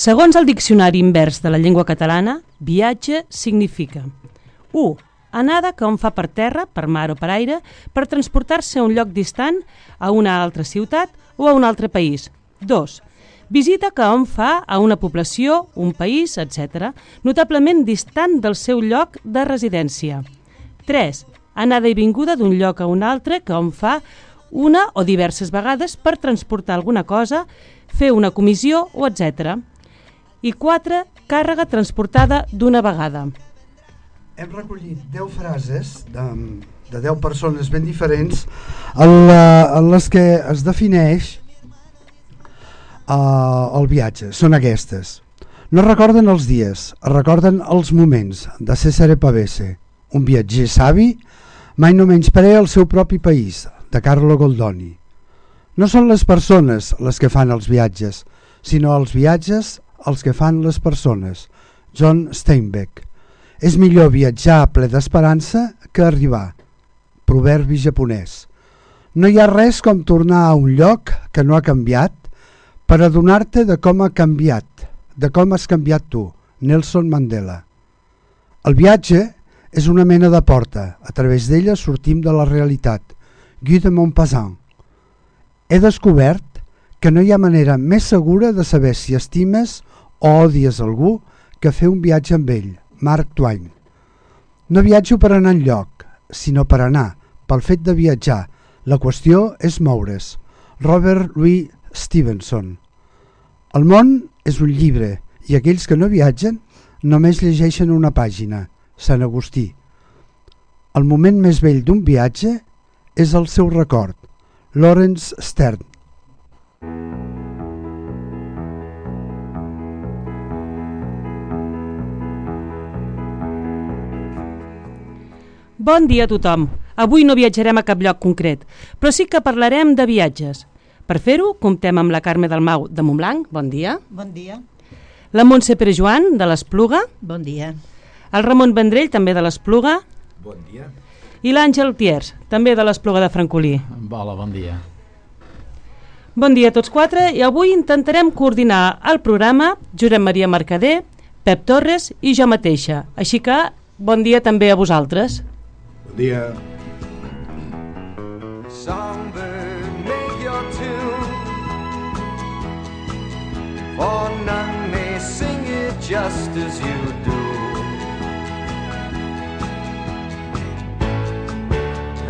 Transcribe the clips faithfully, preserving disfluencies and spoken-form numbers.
Segons el Diccionari Invers de la Llengua Catalana, viatge significa u. Anada que hom fa per terra, per mar o per aire, per transportar-se a un lloc distant, a una altra ciutat o a un altre país. dos. Visita que hom fa a una població, un país, etcètera, notablement distant del seu lloc de residència. tres. Anada i vinguda d'un lloc a un altre que hom fa una o diverses vegades per transportar alguna cosa, fer una comissió o etcètera. I quatre. Càrrega transportada d'una vegada. Hem recollit deu frases de, de deu persones ben diferents en, la, en les que es defineix uh, el viatge. Són aquestes. No recorden els dies, recorden els moments, de Cesare Pavese. Un viatger savi mai no menysprea el seu propi país, de Carlo Goldoni. No són les persones les que fan els viatges, sinó els viatges els que fan les persones. John Steinbeck. És millor viatjar ple d'esperança que arribar. Proverbi japonès. No hi ha res com tornar a un lloc que no ha canviat per adonar-te de com ha canviat, de com has canviat tu. Nelson Mandela. El viatge és una mena de porta. A través d'ella sortim de la realitat. Guy de Maupassant. He descobert que no hi ha manera més segura de saber si estimes o odies algú que fer un viatge amb ell. Mark Twain. No viatjo per anar enlloc, sinó per anar, pel fet de viatjar. La qüestió és moure's. Robert Louis Stevenson. El món és un llibre i aquells que no viatgen només llegeixen una pàgina. Sant Agustí. El moment més vell d'un viatge és el seu record. Lawrence Stern. Bon dia a tothom. Avui no viatjarem a cap lloc concret, però sí que parlarem de viatges. Per fer-ho, comptem amb la Carme Dalmau de Montblanc. Bon dia. Bon dia. La Montse Perejoan de l'Espluga. Bon dia. El Ramon Vendrell, també de l'Espluga. Bon dia. I l'Àngel Tiers, també de l'Espluga de Francolí. Hola, bon dia. Bon dia a tots quatre i avui intentarem coordinar el programa Josep Maria Mercader, Pep Torres i jo mateixa. Així que bon dia també a vosaltres. Bon dia. Songbird, make your tune, for none may sing it just as you do.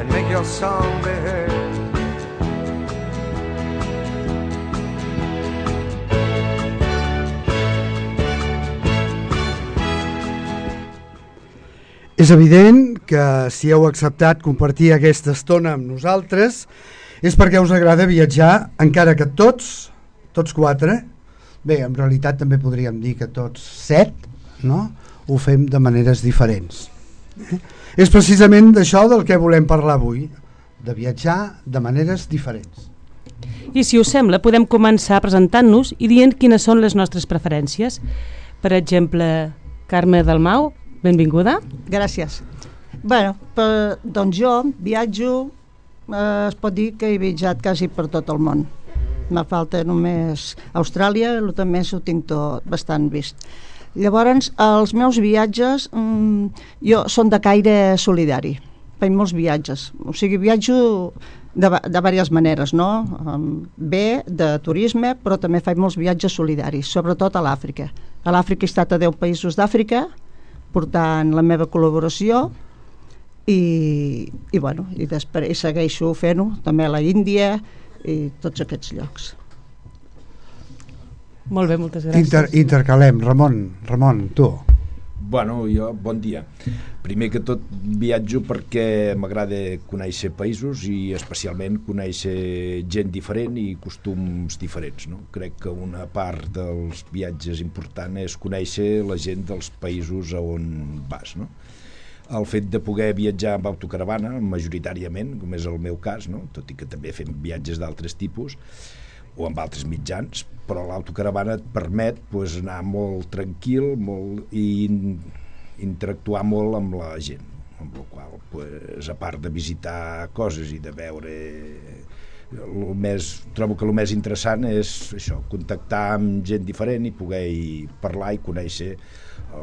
And make your song be heard. És evident que si heu acceptat compartir aquesta estona amb nosaltres és perquè us agrada viatjar, encara que tots, tots quatre, bé, en realitat també podríem dir que tots set, no? Ho fem de maneres diferents. Eh? És precisament d'això del que volem parlar avui, de viatjar de maneres diferents. I si us sembla, podem començar presentant-nos i dient quines són les nostres preferències. Per exemple, Carme Dalmau, benvinguda. Gràcies. Bé, per, doncs jo viatjo, eh, es pot dir que he viatjat quasi per tot el món. Me falta només Austràlia, el també ho tinc tot bastant vist. Llavors, els meus viatges mm, jo són de caire solidari. Faig molts viatges. O sigui, viatjo de, de diverses maneres, no? Bé, de turisme, però també faig molts viatges solidaris, sobretot a l'Àfrica. A l'Àfrica he estat a deu països d'Àfrica, portant la meva col·laboració i, i, bueno, i després segueixo fent-ho també a la Índia i tots aquests llocs. Molt bé, moltes gràcies. Inter, intercalem, Ramon, Ramon, tu. Bueno, jo, bon dia. Primer que tot viatjo perquè m'agrada conèixer països i especialment conèixer gent diferent i costums diferents, no? Crec que una part dels viatges important és conèixer la gent dels països a on vas, no? El fet de poder viatjar amb autocaravana, majoritàriament, com és el meu cas, no? Tot i que també fem viatges d'altres tipus, o amb altres mitjans, però l'autocaravana et permet pues, anar molt tranquil molt, i interactuar molt amb la gent, amb la qual pues, a part de visitar coses i de veure el més, trobo que el més interessant és això, contactar amb gent diferent i poder parlar i conèixer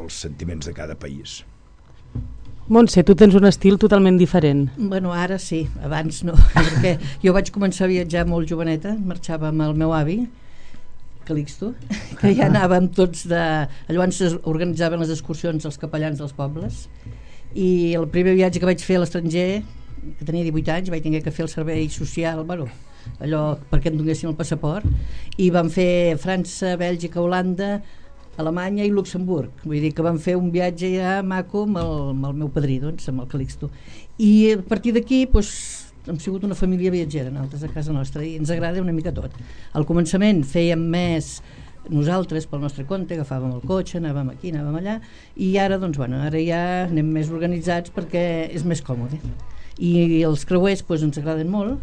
els sentiments de cada país. Montse, tu tens un estil totalment diferent. Bueno, ara sí, abans no, perquè jo vaig començar a viatjar molt joveneta, marxava amb el meu avi, Calixto, que ja anàvem tots de... Llavors organitzaven les excursions als capellans dels pobles, i el primer viatge que vaig fer a l'estranger, que tenia divuit anys, vaig tenir que fer el servei social, bueno, allò perquè em donessin el passaport, i vam fer França, Bèlgica, Holanda, Alemanya i Luxemburg. Vull dir que vam fer un viatge ja maco amb el, amb el meu padrí, doncs, amb el Calixto. I a partir d'aquí, doncs, hem sigut una família viatgera, nosaltres a casa nostra, i ens agrada una mica tot. Al començament fèiem més nosaltres pel nostre compte, agafàvem el cotxe, anàvem aquí, anàvem allà, i ara, doncs, bueno, ara ja anem més organitzats perquè és més còmode. I els creuers, doncs, ens agraden molt,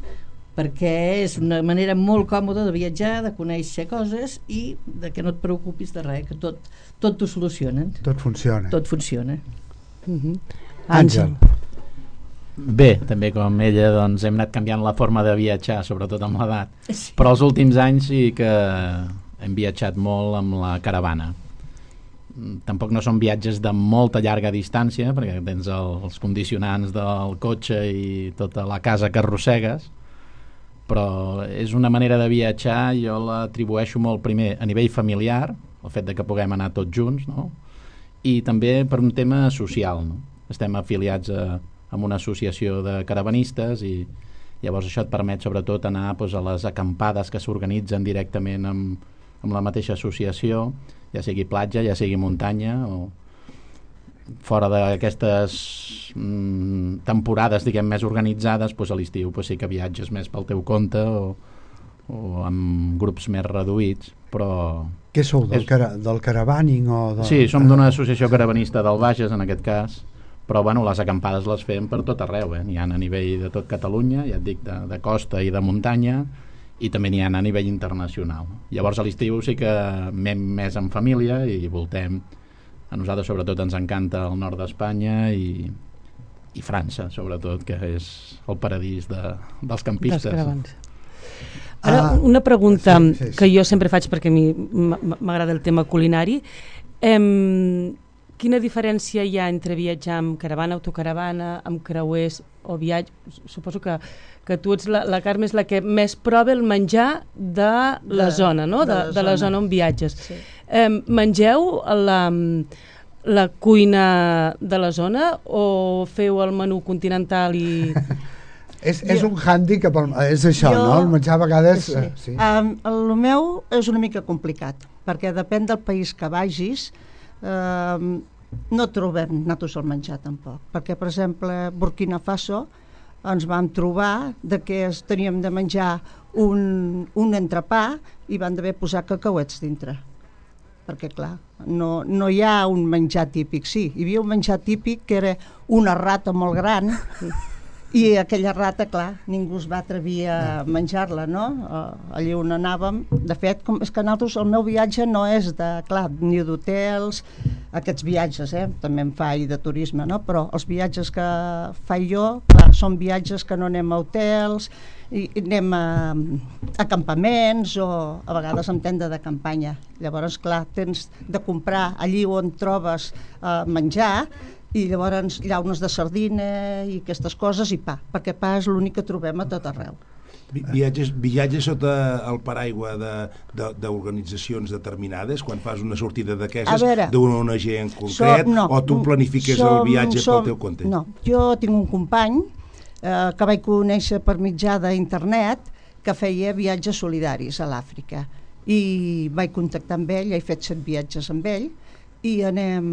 perquè és una manera molt còmoda de viatjar, de conèixer coses i de que no et preocupis de res, que tot, tot t'ho solucionen. Tot funciona. Tot funciona. Uh-huh. Àngel. Bé, també com ella, doncs, hem anat canviant la forma de viatjar, sobretot amb l'edat. Sí. Però els últims anys sí que hem viatjat molt amb la caravana. Tampoc no són viatges de molta llarga distància, perquè tens el, els condicionants del cotxe i tota la casa que arrossegues, però és una manera de viatjar, jo l'atribueixo molt primer a nivell familiar, el fet de que puguem anar tots junts, no? I també per un tema social, no? Estem afiliats a, a una associació de caravanistes i llavors això et permet sobretot anar doncs, a les acampades que s'organitzen directament amb, amb la mateixa associació, ja sigui platja, ja sigui muntanya, o fora d'aquestes mm, temporades, diguem, més organitzades, doncs a l'estiu doncs sí que viatges més pel teu compte o, o amb grups més reduïts, però... Què sou, del, és... cara, del caravaning o... De... Sí, som d'una associació caravanista del Bages, en aquest cas, però bueno, les acampades les fem per tot arreu, eh? N'hi ha a nivell de tot Catalunya, ja et dic, de, de costa i de muntanya, i també n'hi ha a nivell internacional. Llavors a l'estiu sí que anem més en família i voltem. A nosaltres sobretot ens encanta el nord d'Espanya i, i França, sobretot, que és el paradís de, dels campistes. Ara, una pregunta sí, sí, sí. que jo sempre faig perquè a mi m'agrada el tema culinari. Em, quina diferència hi ha entre viatjar amb caravana, autocaravana, amb creuers o viatge? Suposo que, que tu ets la, la Carme és la que més prova el menjar de la de, zona, no? De, de, la, de la zona on viatges. Sí. Em, mengeu la, la cuina de la zona o feu el menú continental i... És, és un hàndicap, és això, jo, no? El menjar a vegades... Sí. Sí. Um, el meu és una mica complicat, perquè depèn del país que vagis, um, no trobem nosaltres el menjar tampoc, perquè, per exemple, Burkina Faso ens vam trobar de que teníem de menjar un, un entrepà i van d'haver posat cacauets dintre. Perquè, clar, no, no hi ha un menjar típic. Sí, hi havia un menjar típic que era una rata molt gran i aquella rata, clar, ningú es va atrevir a menjar-la, no? Allí on anàvem, de fet, com, és que nosaltres, el meu viatge no és de, clar, ni d'hotels, aquests viatges, eh? També em faig de turisme, no? Però els viatges que faig jo, clar, són viatges que no anem a hotels, i anem a, a campaments o a vegades en tenda de campanya. Llavors, clar, tens de comprar allí on trobes eh, menjar i llavors llaunes de sardina i aquestes coses i pa, perquè pa és l'únic que trobem a tot arreu. Viatges, viatges sota el paraigua d'organitzacions de, de, determinades quan fas una sortida d'aquestes d'una O N G en concret, so, no, o tu planifiques som, el viatge som, pel teu compte? No, jo tinc un company eh, que vaig conèixer per mitjà d'internet que feia viatges solidaris a l'Àfrica i vaig contactar amb ell, he fet set viatges amb ell i anem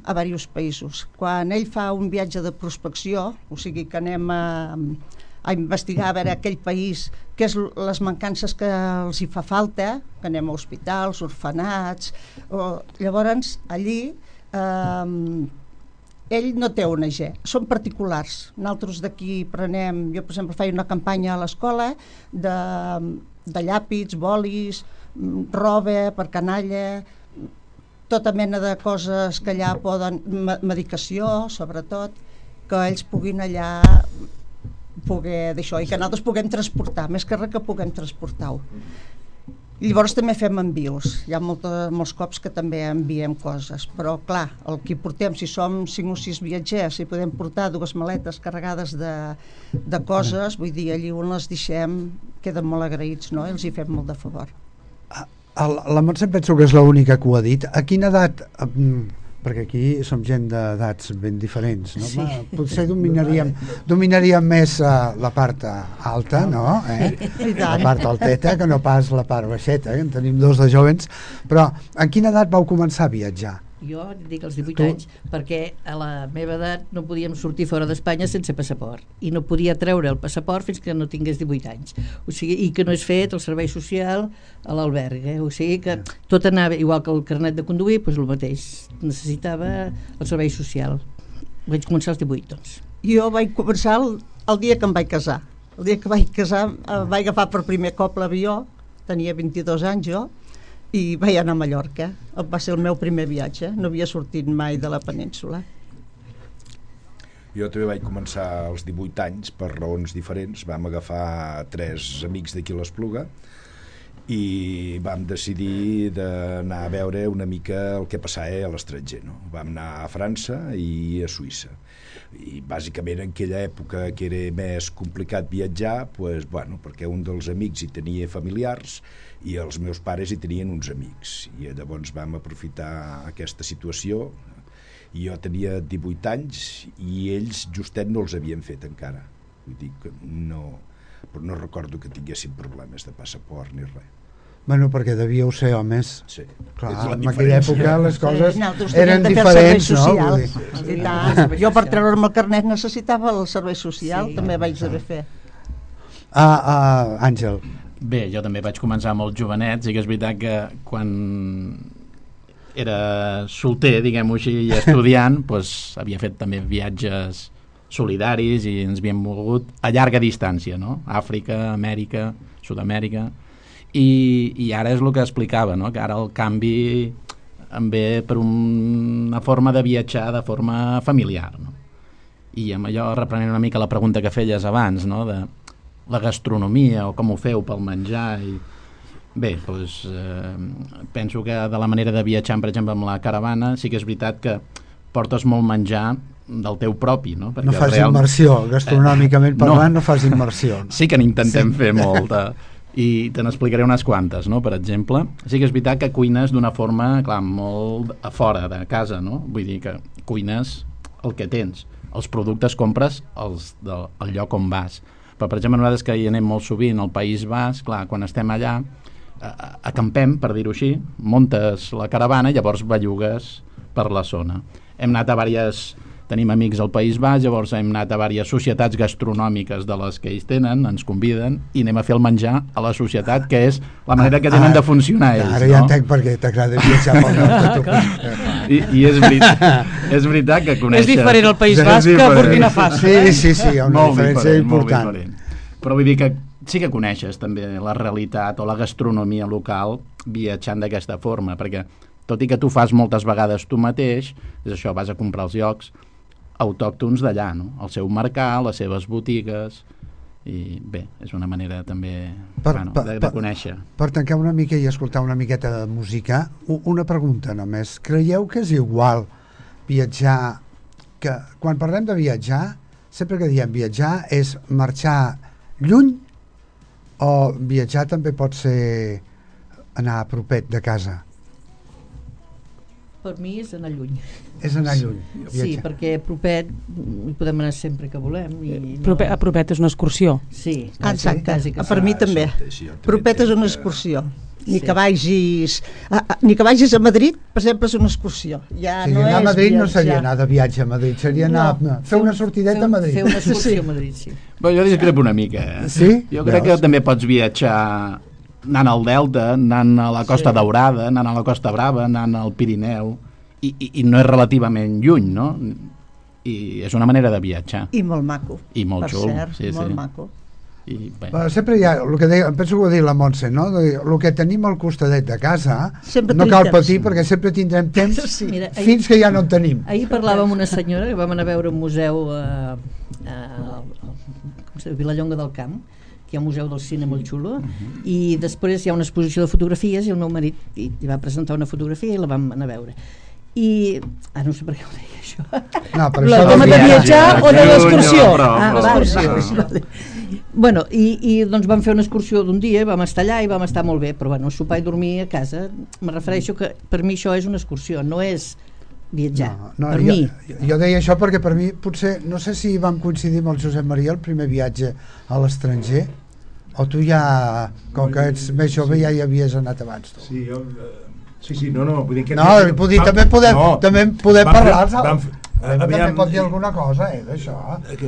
a diversos països. Quan ell fa un viatge de prospecció, o sigui que anem a, a investigar a veure aquell país, què és les mancances que els hi fa falta, que anem a hospitals, orfenats, o, llavors allí eh, ell no té O N G, són particulars. Nosaltres d'aquí prenem, jo per exemple faig una campanya a l'escola de, de llàpids, bolis, roba per canalla, tota mena de coses que allà poden, medicació sobretot, que ells puguin allà poder d'això, i que nosaltres puguem transportar, més que res que puguem transportar-ho. I llavors també fem envios, hi ha molta, molts cops que també enviem coses, però clar, el que portem, si som cinc o sis viatgers, si podem portar dues maletes carregades de, de coses, vull dir, allí on les deixem queden molt agraïts, no? I els hi fem molt de favor. La Montse penso que és l'única que ho ha dit. A quina edat, perquè aquí som gent d'edats ben diferents, no? Sí. Va, potser dominaríem, dominaríem més uh, la part alta, no? Eh? La part alteta, que no pas la part baixeta, eh? En tenim dos de jovens, però en quina edat vau començar a viatjar? Jo dic als divuit Tu? anys, perquè a la meva edat no podíem sortir fora d'Espanya sense passaport, i no podia treure el passaport fins que no tingués divuit anys, o sigui, i que no és fet el servei social a l'alberg, eh? O sigui que tot anava, igual que el carnet de conduir, doncs el mateix, necessitava el servei social. Vaig començar als divuit, doncs. Jo vaig començar el, el dia que em vaig casar. El dia que vaig casar eh, vaig agafar per primer cop l'avió, tenia vint-i-dos anys jo, i vaig anar a Mallorca. Va ser el meu primer viatge, no havia sortit mai de la península. Jo també vaig començar als divuit anys per raons diferents. Vam agafar tres amics d'aquí a l'Espluga i vam decidir d'anar a veure una mica el que passava a l'estranger, no? Vam anar a França i a Suïssa, i bàsicament en aquella època que era més complicat viatjar, pues, bueno, perquè un dels amics hi tenia familiars i els meus pares hi tenien uns amics, i llavors vam aprofitar aquesta situació. I jo tenia divuit anys i ells justet no els havien fet encara, vull dir que no, però no recordo que tinguessin problemes de passaport ni res. Bueno, perquè devíeu ser homes. Sí. Clar, en aquella època les coses sí, eren diferents, no? Vull dir. I tant. Jo per treure'm el carnet necessitava el servei social, sí, també vaig haver fer. Ah, ah, Àngel. Bé, jo també vaig començar molt jovenet, sí que és veritat que quan era solter, diguem-ho així, i estudiant, doncs havia fet també viatges solidaris i ens havíem mogut a llarga distància, no? Àfrica, Amèrica, Sud-amèrica, i, i ara és el que explicava, no? Que ara el canvi em ve per una forma de viatjar de forma familiar, no? I amb allò reprenent una mica la pregunta que feies abans, no? De la gastronomia o com ho feu pel menjar i... Bé, doncs, eh, penso que de la manera de viatjar, per exemple, amb la caravana, sí que és veritat que portes molt menjar del teu propi, no? Perquè no fas real... immersió, gastronòmicament parlant, no, no fas immersió. No? Sí que n'intentem sí. fer molta, i te n'explicaré unes quantes, no? Per exemple, sí que és veritat que cuines d'una forma, clar, molt a fora de casa, no? Vull dir que cuines el que tens, els productes compres els del el lloc on vas. Però, per exemple, nosaltres que hi anem molt sovint al País Basc, clar, quan estem allà, acampem, per dir-ho així, muntes la caravana i llavors bellugues per la zona. Hem anat a diverses... Tenim amics al País Basc, llavors hem anat a diverses societats gastronòmiques de les que ells tenen, ens conviden i anem a fer el menjar a la societat, que és la manera que tenen de funcionar ells. Ara ja entenc per què t'agrada viatjar pel nord. I, i és, veritat, és veritat que coneixes... És diferent el País Basc que Burkina Faso. Sí, sí, sí, hi ha una molt diferència diferent, important. Molt diferent. Però vull dir que sí que coneixes també la realitat o la gastronomia local viatjant d'aquesta forma, perquè tot i que tu fas moltes vegades tu mateix, és això, vas a comprar els llocs autòctons d'allà, no? El seu mercat, les seves botigues, i bé, és una manera també per, bueno, per, de, de conèixer. Per, per tancar una mica i escoltar una miqueta de música, una pregunta només. Creieu que és igual viatjar, que quan parlem de viatjar, sempre que diem viatjar és marxar lluny o viatjar també pot ser anar a propet de casa? Per mi és anar lluny. És anar lluny. Viatjar. Sí, perquè a propet hi podem anar sempre que volem. I no... Propet, a propet és una excursió. Sí, quasi, exacte. Quasi que per sí. mi també. Sí, propet és una excursió. Ni, sí. que vagis, a, a, ni que vagis a Madrid, per exemple, és una excursió. Ja sí, no anar a Madrid viatjar. No seria anar de viatge a Madrid, seria anar no. a fer una sortideta fer, a Madrid. Fer una excursió sí. a Madrid, sí. Però jo discrepo una mica. Eh? Sí? Jo crec Veus? que també pots viatjar anant al Delta, anant a la Costa sí. Daurada, anant a la Costa Brava, anant al Pirineu, i, i, i no és relativament lluny, no? I és una manera de viatjar. I molt maco. I molt per xul. cert, sí, molt sí. maco. I, bueno, sempre hi ha, el que deia, penso que ho ha dit la Montse, no? El que tenim al costadet de casa sempre no cal patir perquè sempre tindrem temps sí. Mira, ahir, fins que ja no en tenim. Ahir parlàvem amb una senyora que vam anar a veure un museu a, a, a Vilallonga del Camp, que hi ha un museu del cine molt xulo, uh-huh. i després hi ha una exposició de fotografies i el meu marit hi, hi va presentar una fotografia i la vam anar a veure. I... Ah, no sé per què ho deia, això. No, per la això tema de viatjar o de l'excursió? Ah, vale, vale. Bueno, i, i doncs vam fer una excursió d'un dia, vam estar allà i vam estar molt bé, però bueno, sopar i dormir a casa, me refereixo que per mi això és una excursió, no és viatjar, no, no, per jo, mi. Jo deia això perquè per mi potser, no sé si vam coincidir amb el Josep Maria el primer viatge a l'estranger, o tu ja, com que ets més jove, ja hi havies anat abans tu. Sí, jo... Sí, sí, no, no, vull dir que... No, vull dir, també podem, no, també podem parlar, saps? També aviam... pot dir alguna cosa, eh, d'això.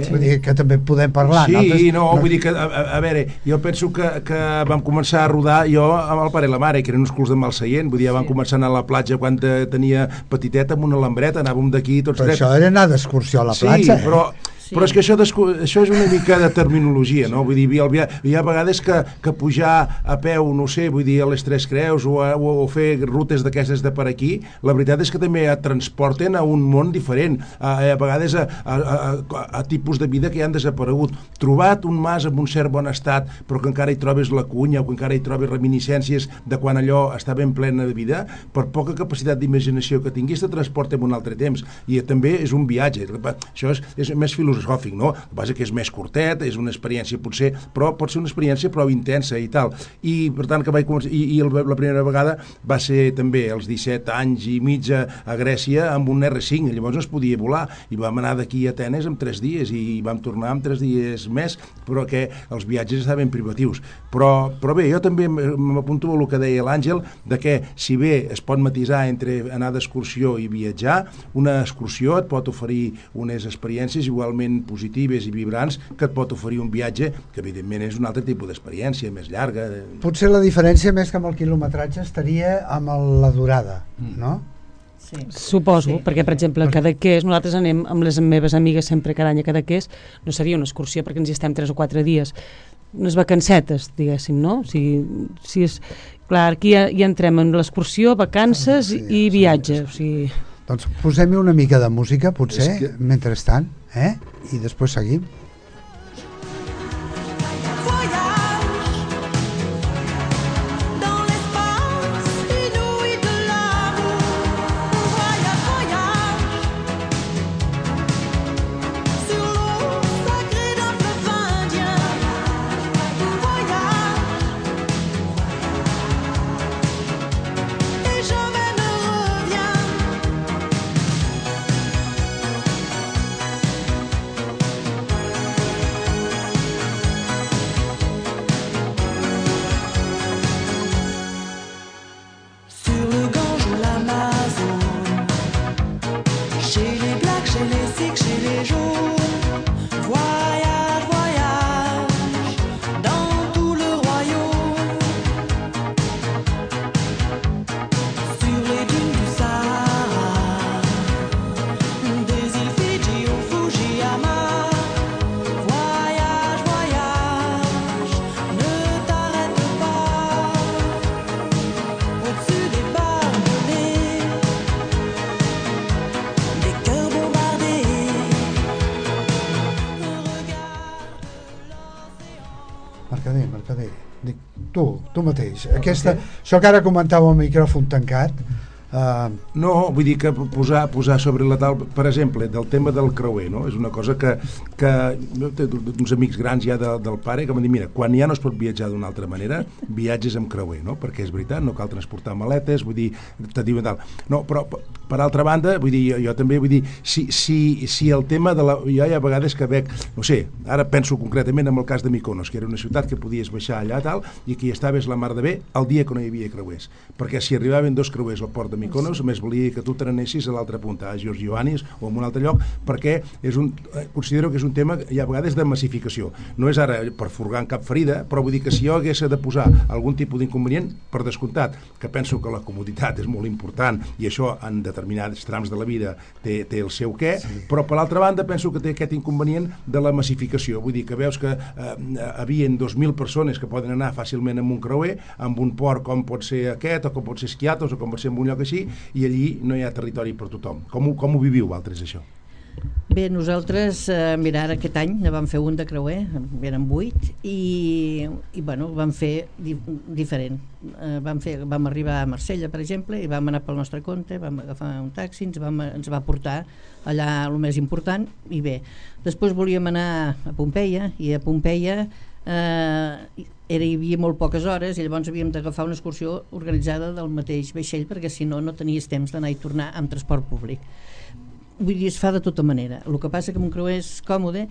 Vull dir que també podem parlar. Sí, nosaltres, no, vull dir que, a, a, a veure, jo penso que, que vam començar a rodar jo amb el pare i la mare, que eren uns culs de Malseient, vull dir, vam sí. començar a anar a la platja quan tenia petiteta amb una lambreta, anàvem d'aquí tots... Però això era anar d'excursió a la platja. Sí, però... Sí. Però és que això, això és una mica de terminologia, no? Vull dir, hi ha, hi ha vegades que, que pujar a peu, no sé, vull dir, a les Tres Creus o, a, o fer rutes d'aquestes de per aquí, la veritat és que també et transporten a un món diferent, a, a vegades a, a, a, a tipus de vida que ja han desaparegut. Trobat un mas amb un cert bon estat, però que encara hi trobes la cunya o que encara hi trobes reminiscències de quan allò estava en plena de vida, per poca capacitat d'imaginació que tinguis, te transporta en un altre temps. I també és un viatge. Això és, és més filosòfic, no? El que passa que és més curtet, és una experiència potser, però pot ser una experiència prou intensa i tal. I per tant que vaig començar, i, i la primera vegada va ser també als disset anys i mig a, a Grècia amb un erre cinc, llavors no es podia volar i vam anar d'aquí a Atenes en tres dies i vam tornar en tres dies més, però que els viatges estaven privatius. Però, però bé, jo també m'apunto a el que deia l'Àngel, de que si bé es pot matisar entre anar d'excursió i viatjar, una excursió et pot oferir unes experiències igualment positives i vibrants que et pot oferir un viatge que evidentment és un altre tipus d'experiència, més llarga. Potser la diferència més que amb el quilometratge estaria amb el, la durada, no? Sí. Suposo, sí. Perquè per exemple a Cadaqués, nosaltres anem amb les meves amigues sempre cada any a Cadaqués, no seria una excursió perquè ens hi estem tres o quatre dies, unes vacancetes, diguéssim, no? O sigui, si és, clar, aquí ja, ja entrem en l'excursió, vacances sí, i viatge, sí. O sigui... Doncs posem-hi una mica de música, potser, que... mentrestant, eh? I després seguim. Tu, tu mateix. Aquesta, això que ara comentava el micròfon tancat, Uh, no, vull dir que posar, posar sobre la taula, per exemple, del tema del creuer, no? És una cosa que, que uns amics grans ja de, del pare que m'han dit, mira, quan ja no es pot viatjar d'una altra manera, viatges amb creuer, no? Perquè és veritat, no cal transportar maletes, vull dir, te diuen tal. No, però per altra banda, vull dir, jo, jo també vull dir, si, si, si el tema de la... Jo hi ha vegades que veig, no sé, ara penso concretament en el cas de Mykonos, que era una ciutat que podies baixar allà tal, i que hi estaves la mar de bé el dia que no hi havia creuers, perquè si arribaven dos creuers al port de Mykonos, més volia que tu te n'anessis a l'altra punta, a Giorgioannis o en un altre lloc, perquè és un, considero que és un tema hi ha vegades de massificació. No és ara per furgar en cap ferida, però vull dir que si jo hagués de posar algun tipus d'inconvenient, per descomptat, que penso que la comoditat és molt important i això en determinats trams de la vida té, té el seu què, sí. Però per l'altra banda penso que té aquest inconvenient de la massificació. Vull dir que veus que eh, havien dos mil persones que poden anar fàcilment amb un creuer, amb un port com pot ser aquest, o com pot ser Skiathos, o com pot ser en un lloc així, i allí no hi ha territori per tothom. Com ho, com ho viviu, vosaltres, això? Bé, nosaltres, eh, mira, ara aquest any ne vam fer un de creuer, eren vuit, i, i bueno, vam fer di diferent. Eh, vam, fer, vam arribar a Marsella, per exemple, i vam anar pel nostre compte, vam agafar un taxi, ens, vam, ens va portar allà el més important, i bé. Després volíem anar a Pompeia, i a Pompeia eh, era, hi havia molt poques hores, i llavors havíem d'agafar una excursió organitzada del mateix vaixell, perquè si no, no tenies temps d'anar i tornar amb transport públic. Vull dir, es fa de tota manera. El que passa que un creuer és còmode,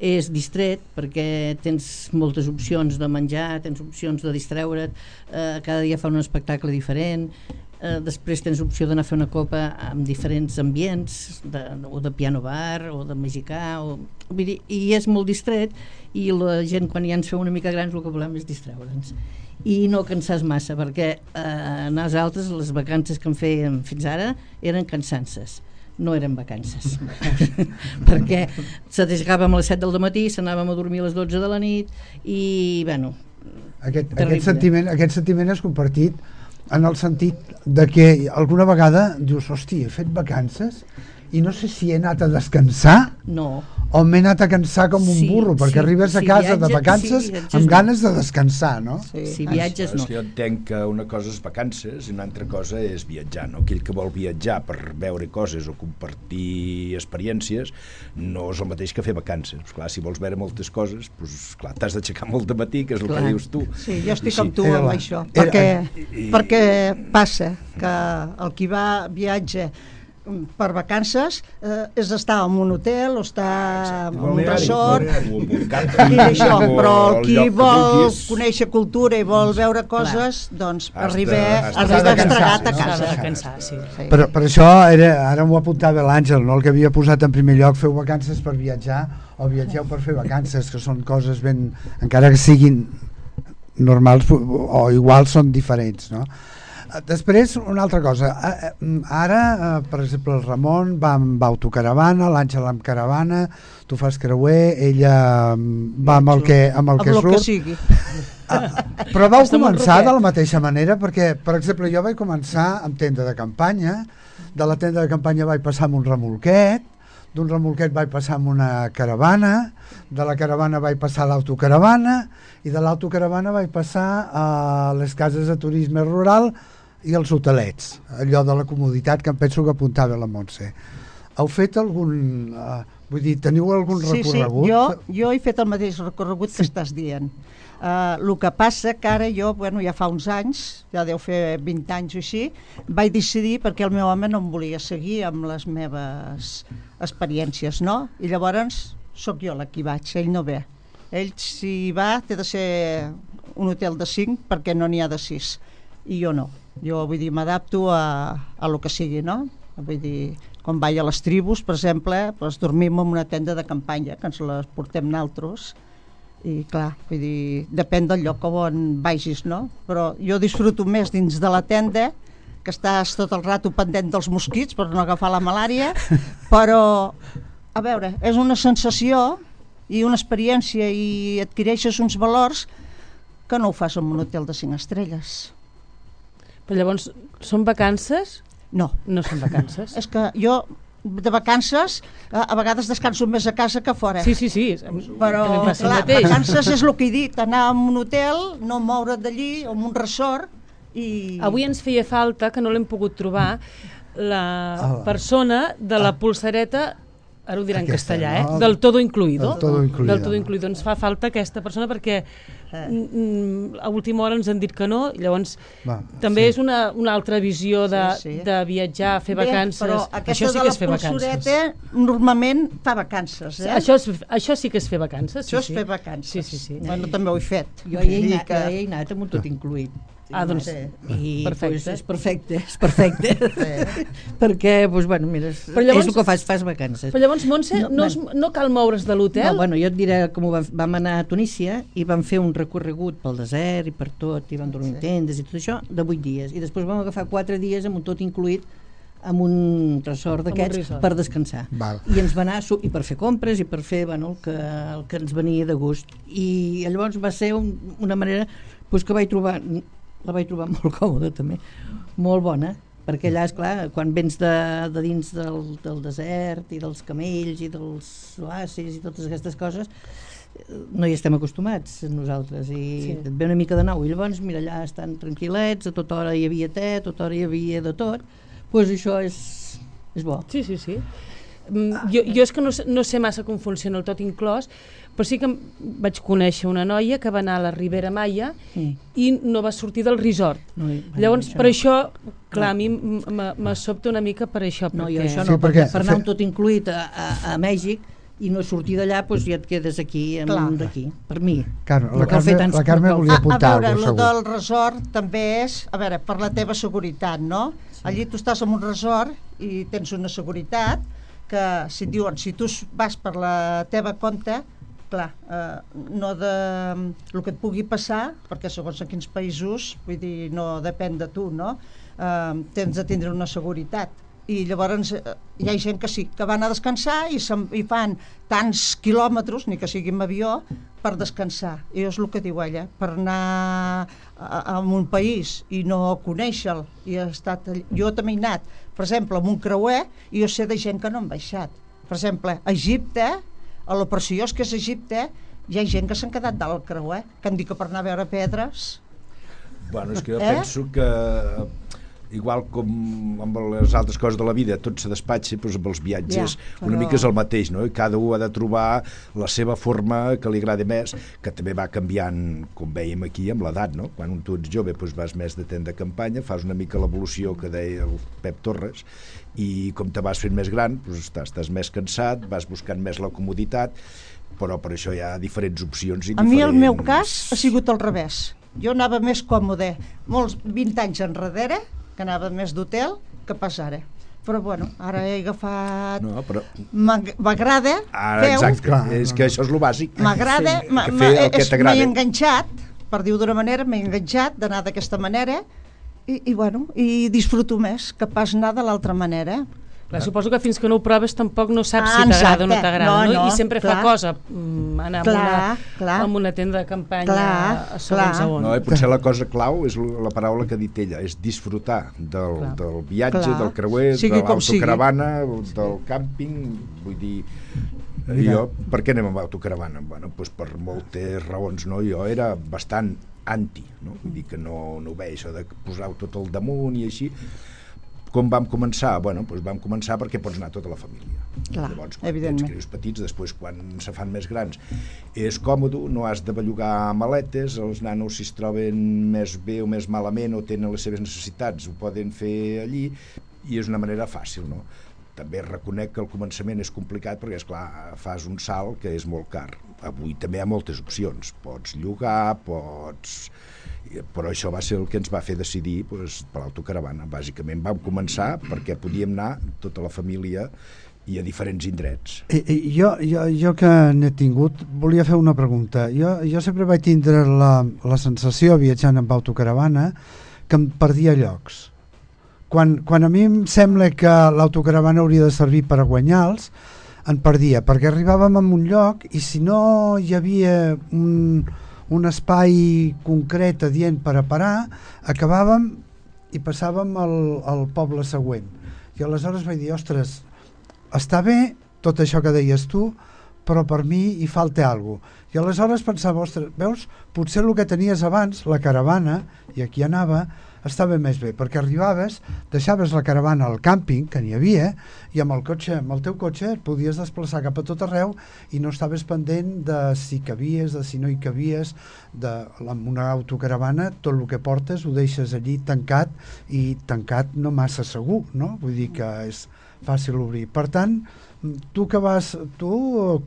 és distret, perquè tens moltes opcions de menjar, tens opcions de distreure't, eh, cada dia fa un espectacle diferent, eh, després tens opció d'anar a fer una copa amb diferents ambients, de, o de piano bar, o de mexicà, o, vull dir, i és molt distret, i la gent quan ja ens feu una mica grans el que volem és distreure'ns. I no cansar massa, perquè eh, nosaltres les vacances que en fèiem fins ara eren cansances. No eren vacances perquè se deixàvem a les set del matí, s'anàvem a dormir a les dotze de la nit i bueno, aquest, aquest, sentiment, aquest sentiment és compartit en el sentit de que alguna vegada dius, hosti, he fet vacances i no sé si he anat a descansar no. o m'he anat a cansar com un sí, burro, perquè sí, arribes a casa sí, viatges, de vacances sí, amb ganes de descansar, no? Sí, sí viatges no. Jo entenc que una cosa és vacances i una altra cosa és viatjar, no? Aquell que vol viatjar per veure coses o compartir experiències no és el mateix que fer vacances. Pues clar, si vols veure moltes coses, pues, clar, t'has d'aixecar molt de matí, que és el clar. Que dius tu. Sí, jo estic sí. amb tu amb això, perquè, i... perquè passa que el qui va viatge per vacances eh, és estar en un hotel o estar en un resort i això, però el qui vol conèixer cultura i vol veure coses doncs arriba estregat a casa. Per, per això era, ara m'ho apuntava l'Àngel, no? El que havia posat en primer lloc, feu vacances per viatjar o viatgeu per fer vacances, que són coses ben, encara que siguin normals o iguals, són diferents, no? Després, una altra cosa, ara, per exemple, el Ramon va amb autocaravana, l'Àngel amb caravana, tu fas creuer, ella va amb el que, amb el que surt. Que sigui. Però vau començar de la mateixa manera, perquè, per exemple, jo vaig començar amb tenda de campanya, de la tenda de campanya vaig passar amb un remolquet, d'un remolquet vaig passar amb una caravana, de la caravana vaig passar a l'autocaravana, i de l'autocaravana vaig passar a les cases de turisme rural i els hotelets, allò de la comoditat que em penso que apuntava la Montse. Heu fet algun... Uh, vull dir, teniu algun sí, recorregut? Sí, jo, jo he fet el mateix recorregut que sí. Estàs dient. Uh, el que passa que ara jo, bueno, ja fa uns anys, ja deu fer vint anys o així, vaig decidir perquè el meu home no em volia seguir amb les meves experiències, no? I llavors sóc jo la qui vaig, ell no ve. Ell, si va, té de ser un hotel de cinc perquè no n'hi ha de sis. I jo no. Jo, vull dir, m'adapto a, a lo que sigui, no? Vull dir, quan vaig a les tribus, per exemple, doncs dormim en una tenda de campanya, que ens les portem naltros, i clar, vull dir, depèn del lloc on vagis, no? Però jo disfruto més dins de la tenda, que estàs tot el rato pendent dels mosquits per no agafar la malària, però, a veure, és una sensació i una experiència i adquireixes uns valors que no ho fas en un hotel de cinc estrelles. Però llavors, són vacances? No. No són vacances. És que jo, de vacances, a, a vegades descanso més a casa que fora. Sí, sí, sí. Però, clar, vacances és el que he dit, anar a un hotel, no moure't d'allí, o en un resort, i... Avui ens feia falta, que no l'hem pogut trobar, la persona de la polsareta, ara ho dirà en castellà, eh? Del todo incluido. Del todo incluido. Del todo incluido. Ens fa falta aquesta persona perquè mm, a última hora ens han dit que no, i llavors Va, també sí. és una, una altra visió de, sí, sí. de viatjar, fer Bé, vacances. Però aquesta això sí que és fer vacances. Normalment fa vacances. Eh? Això, és, això sí que és fer vacances. Això sí, és sí. fer vacances. Sí, sí, sí. Bueno, també ho he fet. Jo hi he anat, que... he anat amb un tot incluït. Ah, doncs, i perfecte. Pues, és perfecte, és perfecte. Sí. Perquè, doncs, bueno, mira, és, llavors, és el que fas, fas vacances. Però llavors, Montse, no, no, es, no cal moure's de l'hotel? No, bueno, jo et diré com vam, vam anar a Tunísia i vam fer un recorregut pel desert i per tot, i vam dormir en tendes i tot això, de vuit dies. I després vam agafar quatre dies amb un tot incluït amb un resort d'aquests per descansar. Val. I ens va anar, i per fer compres i per fer, bueno, el que, el que ens venia de gust. I llavors va ser un, una manera pues, que vaig trobar... la vaig trobar molt còmoda també, molt bona, perquè allà, esclar, quan vens de, de dins del, del desert i dels camells i dels oasis i totes aquestes coses, no hi estem acostumats nosaltres, i sí. Et ve una mica de nou, i llavors mira, allà estan tranquil·lets, a tota hora hi havia te, a tota hora hi havia de tot, doncs pues això és, és bo. Sí, sí, sí. Jo, jo és que no, no sé massa com funciona el tot inclòs, però sí que vaig conèixer una noia que va anar a la Ribera Maya sí. i no va sortir del resort. No, llavors, això per no. això, clar, no. a mi me sobta una mica per això. No, perquè... jo això no, sí, perquè per anar un tot incluït a, a, a Mèxic i no sortir d'allà, doncs ja et quedes aquí amb d'aquí, per mi. Claro, la, Carme, tants, la Carme volia apuntar alguna cosa, segur. A veure, el del resort també és, a veure, per la teva seguretat, no? Sí. Allí tu estàs en un resort i tens una seguretat que si et diuen, si tu vas per la teva compte, clar, eh, no de el que et pugui passar, perquè segons en quins països, vull dir, no depèn de tu, no? Eh, tens de tindre una seguretat. I llavors eh, hi ha gent que sí, que van a descansar i, i fan tants quilòmetres, ni que sigui amb avió, per descansar. I és el que diu ella, per anar a, a un país i no conèixer-lo. I he estat, jo també he anat, per exemple, amb un creuer, i jo sé de gent que no han baixat. Per exemple, a Egipte, a lo preciós que és Egipte, hi ha gent que s'han quedat dalt al creuer, que han dit que per anar a veure pedres. Bueno, és que jo eh? penso que igual com amb les altres coses de la vida tot se despatxa, doncs amb els viatges ja, però... una mica és el mateix, no? I cada un ha de trobar la seva forma que li agrada més, que també va canviant, com veiem aquí, amb l'edat, no? Quan tu ets jove doncs vas més de tent de campanya, fas una mica l'evolució que deia el Pep Torres, i com te vas fent més gran doncs estàs, estàs més cansat, vas buscant més la comoditat, però per això hi ha diferents opcions i a diferents... mi el meu cas ha sigut al revés, jo anava més còmode molts vint anys enrere, que anava més d'hotel que pas ara, però bueno, ara he agafat no, però... m'agrada ara, exacte, Clar, és no, que això és el bàsic, m'agrada sí. m'he enganxat, per dir-ho d'una manera, m'he enganxat d'anar d'aquesta manera i, i bueno, i disfruto més que pas anar de l'altra manera. Clar, suposo que fins que no ho proves tampoc no saps ah, si t'agrada o no t'agrada, no, no? I sempre clar. Fa cosa anar clar, amb, una, clar. amb una tenda de campanya clar, a segons a on. No, potser la cosa clau és la paraula que ha dit ella, és disfrutar del, del viatge, clar. Del creuer, sigui de l'autocaravana, del càmping, vull dir... Jo, per què anem amb autocaravana? Bueno, doncs per moltes raons, no? Jo era bastant anti, no? Vull dir que no, no ho veia, això de posar-ho tot al damunt i així. Com vam començar? Bueno, doncs vam començar perquè pots anar tota la família. Clar, llavors, quan tens crios petits, després quan se fan més grans, és còmode, no has de bellugar maletes, els nanos si es troben més bé o més malament o tenen les seves necessitats, ho poden fer allí, i és una manera fàcil, no? També reconec que al començament és complicat perquè, esclar, fas un salt que és molt car. Avui també hi ha moltes opcions. Pots llogar, pots... Però això va ser el que ens va fer decidir doncs, per l'autocaravana. Bàsicament vam començar perquè podíem anar tota la família i a diferents indrets. I, i jo, jo, jo que n'he tingut, volia fer una pregunta. Jo, jo sempre vaig tindre la, la sensació, viatjant amb autocaravana, que em perdia llocs. Quan, quan a mi em sembla que l'autocaravana hauria de servir per a guanyar-los, en perdia, perquè arribàvem a un lloc i si no hi havia un, un espai concret adient per a parar, acabàvem i passàvem al, al poble següent. I aleshores vaig dir, ostres, està bé tot això que deies tu, però per mi hi falta alguna cosa. I aleshores pensava, ostres, veus, potser el que tenies abans, la caravana, i aquí anava, estava més bé, perquè arribaves, deixaves la caravana al càmping, que n'hi havia, i amb el cotxe, amb el teu cotxe et podies desplaçar cap a tot arreu i no estaves pendent de si cabies, de si no hi cabies, de, amb una autocaravana tot el que portes ho deixes allí tancat, i tancat no massa segur, no? Vull dir que és fàcil obrir. Per tant, tu que vas, tu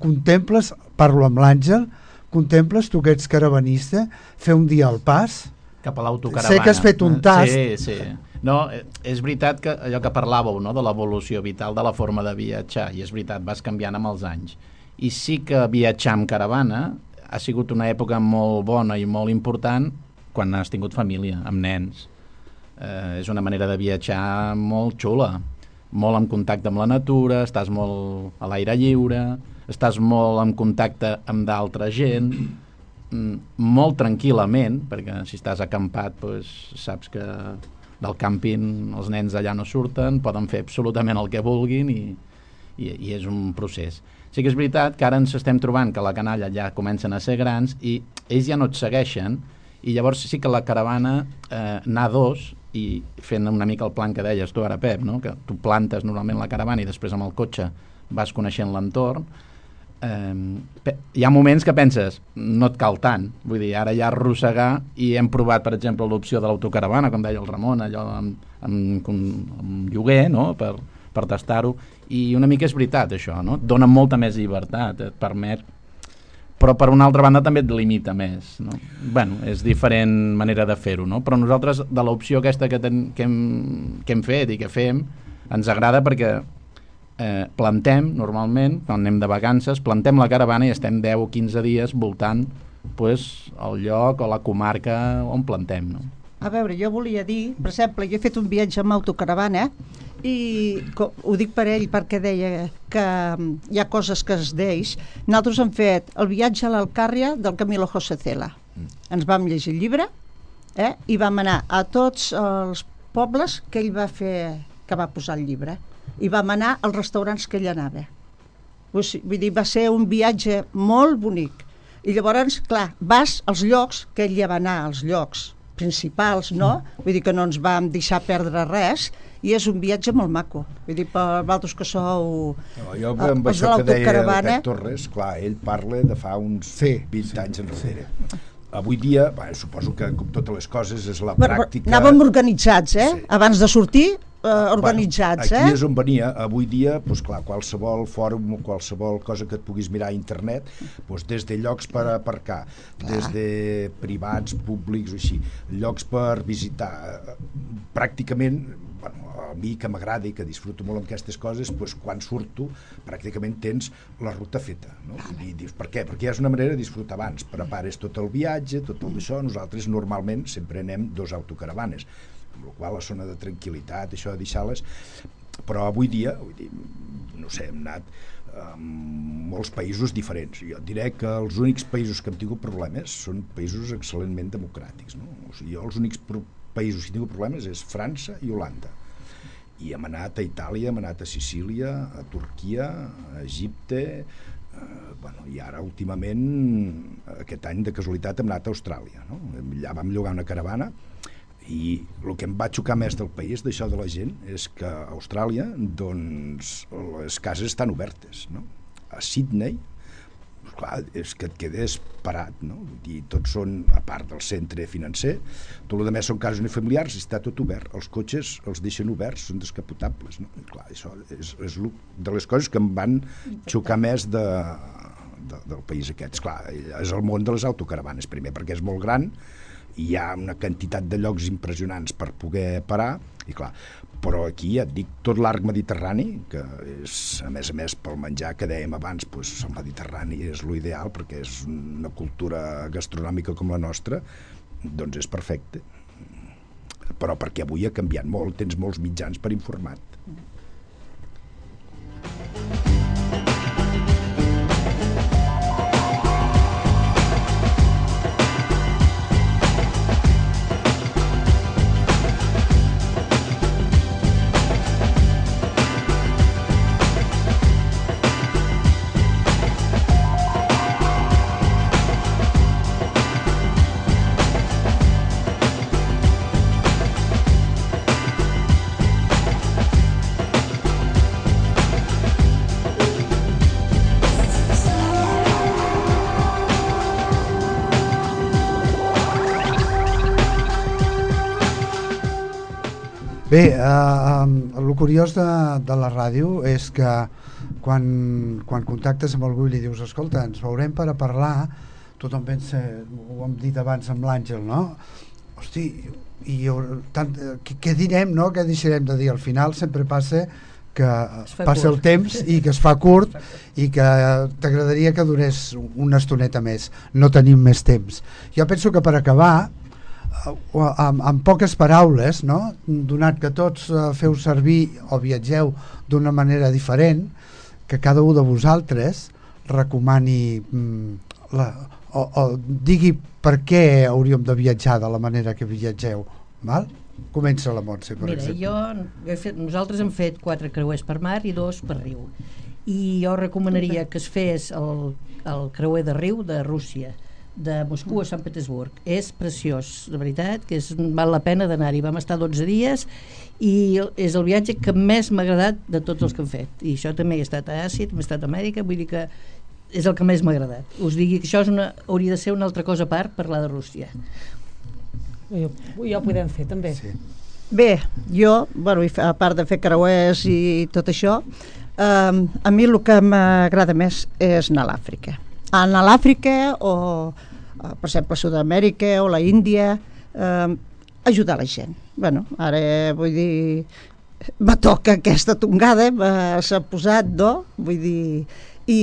contemples, parlo amb l'Àngel, contemples, tu que ets caravanista, fer un dia al pas, cap a l'autocaravana. Sé que has fet un tast. Sí, sí. No, és veritat que allò que parlàveu, no?, de l'evolució vital de la forma de viatjar, i és veritat, vas canviant amb els anys. I sí que viatjar amb caravana ha sigut una època molt bona i molt important quan has tingut família, amb nens. Eh, és una manera de viatjar molt xula, molt en contacte amb la natura, estàs molt a l'aire lliure, estàs molt en contacte amb d'altra gent, molt tranquil·lament, perquè si estàs acampat doncs, saps que del càmping els nens allà no surten, poden fer absolutament el que vulguin i, i, i és un procés. Sí que és veritat que ara ens estem trobant que la canalla ja comencen a ser grans i ells ja no et segueixen, i llavors sí que la caravana eh, anar dos i fent una mica el plan que deies tu ara, Pep, no? Que tu plantes normalment la caravana i després amb el cotxe vas coneixent l'entorn. Eh, hi ha moments que penses no et cal tant, vull dir, ara ja arrossegar, i hem provat per exemple l'opció de l'autocaravana, com deia el Ramon, allò amb, amb, amb lloguer, no? per, per tastar-ho, i una mica és veritat això, no? Et dona molta més llibertat, et permet, però per una altra banda també et limita més, no? Bueno, és diferent manera de fer-ho, no? Però nosaltres de l'opció aquesta que, ten, que, hem, que hem fet i que fem ens agrada perquè eh, plantem normalment, quan anem de vacances, plantem la caravana i estem deu o quinze dies voltant pues, el lloc o la comarca on plantem, no? A veure, jo volia dir, per exemple, jo he fet un viatge amb autocaravana i ho dic per ell perquè deia que hi ha coses que es deix. Nosaltres hem fet el viatge a l'Alcàrria del Camilo José Cela. Ens vam llegir el llibre eh, i vam anar a tots els pobles que ell va fer, que va posar el llibre, i vam anar als restaurants que ell anava. Vull dir, va ser un viatge molt bonic. I llavors, clar, vas als llocs que ell ja va anar, als llocs principals, no? Vull dir que no ens vam deixar perdre res, i és un viatge molt maco. Vull dir, per vosaltres que sou no, jo amb els això de que deia el l'autocaravana... Pep Torres, clar, ell parla de fa uns sí, vint sí, anys enrere. Sí. Avui dia, bé, suposo que com totes les coses és la bueno, pràctica... Anàvem organitzats, eh? Sí. Abans de sortir, eh, organitzats, bueno, aquí eh? és on venia. Avui dia, doncs clar, qualsevol fòrum o qualsevol cosa que et puguis mirar a internet, doncs des de llocs per aparcar, des de privats, públics o així, llocs per visitar, pràcticament... Bueno, a mi que m'agrada i que disfruto molt amb aquestes coses, doncs quan surto pràcticament tens la ruta feta, no? I dius, per què? Perquè és una manera de disfrutar abans, prepares tot el viatge, tot el d'això. Nosaltres normalment sempre anem dos autocaravanes, amb la qual la zona de tranquil·litat, això de deixar-les, però avui dia, vull dir, no sé, hem anat a molts països diferents. Jo et diré que els únics països que hem tingut problemes són països excel·lentment democràtics, no? O sigui, jo els únics països que he tingut problemes és França i Holanda, i hem anat a Itàlia, hem anat a Sicília, a Turquia, a Egipte, eh, bueno, i ara últimament aquest any de casualitat hem anat a Austràlia, no? Allà vam llogar una caravana i el que em va xocar més del país, d'això de la gent, és que a Austràlia doncs les cases estan obertes, no? A Sydney, clar, és que et quedes parat, no? I tots són, a part del centre financer, tot el més són cases unifamiliars i està tot obert. Els cotxes els deixen oberts, són descapotables, no? I clar, això és, és de les coses que em van xocar més de, de, del país aquest. Clar, és el món de les autocaravanes, primer, perquè és molt gran, i hi ha una quantitat de llocs impressionants per poder parar, i clar, però aquí ja et dic, tot l'arc mediterrani, que és, a més a més, pel menjar que dèiem abans, doncs el mediterrani és l'ideal, perquè és una cultura gastronòmica com la nostra, doncs és perfecte. Però perquè avui ha canviat molt, tens molts mitjans per informar-te. Bé, eh, el curiós de, de la ràdio és que quan, quan contactes amb algú i li dius escolta, ens veurem per a parlar, tothom pensa, ho hem dit abans amb l'Àngel, no? Hosti, i tant, què, què direm, no? Què deixarem de dir? Al final sempre passa que passa el temps i que es fa curt i que t'agradaria que durés una estoneta més. No tenim més temps. Jo penso que per acabar, amb, amb poques paraules, no? Donat que tots uh, feu servir o viatgeu d'una manera diferent, que cada un de vosaltres recomani mm, la, o, o digui per què hauríem de viatjar de la manera que viatgeu, val? Comença la Montse, per Mira, exemple. jo, he fet, nosaltres hem fet quatre creuers per mar i dos per riu. I jo recomanaria que es fes el, el creuer de riu de Rússia, de Moscou a Sant Petersburg. És preciós, de veritat, que és, val la pena d'anar-hi. Vam estar dotze dies i és el viatge que més m'ha agradat de tots els que hem fet. I això també he estat a Àsia, també he estat a Amèrica, vull dir que és el que més m'ha agradat. Us digui que això és una, hauria de ser una altra cosa a part, parlar de Rússia. Jo, ja ho podem fer també. Sí. Bé, jo, bueno, a part de fer creuers i tot això, eh, a mi el que m'agrada més és anar a l'Àfrica. Anar a l'Àfrica o, per exemple, a Sud-amèrica o la Índia, eh, ajudar la gent. Bueno, ara vull dir, me toca aquesta tongada, s'ha posat, no? Vull dir, i,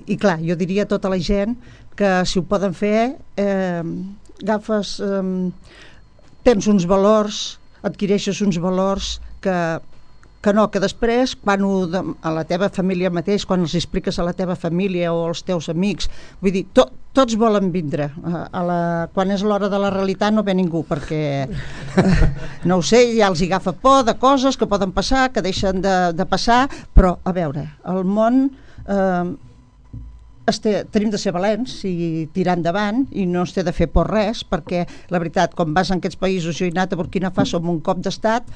i clar, jo diria a tota la gent que si ho poden fer, eh, agafes, eh, tens uns valors, adquireixes uns valors que, que no, que després, quan ho, a la teva família mateix, quan els expliques a la teva família o als teus amics, vull dir, to, tots volen vindre. A, a la, quan és l'hora de la realitat no ve ningú, perquè, eh, no ho sé, ja els hi agafa por de coses que poden passar, que deixen de, de passar, però, a veure, el món... Eh, Este, tenim de ser valents i tirar endavant i no es té de fer por res, perquè la veritat, quan vas en aquests països, jo he anat a Burkina Faso amb un cop d'estat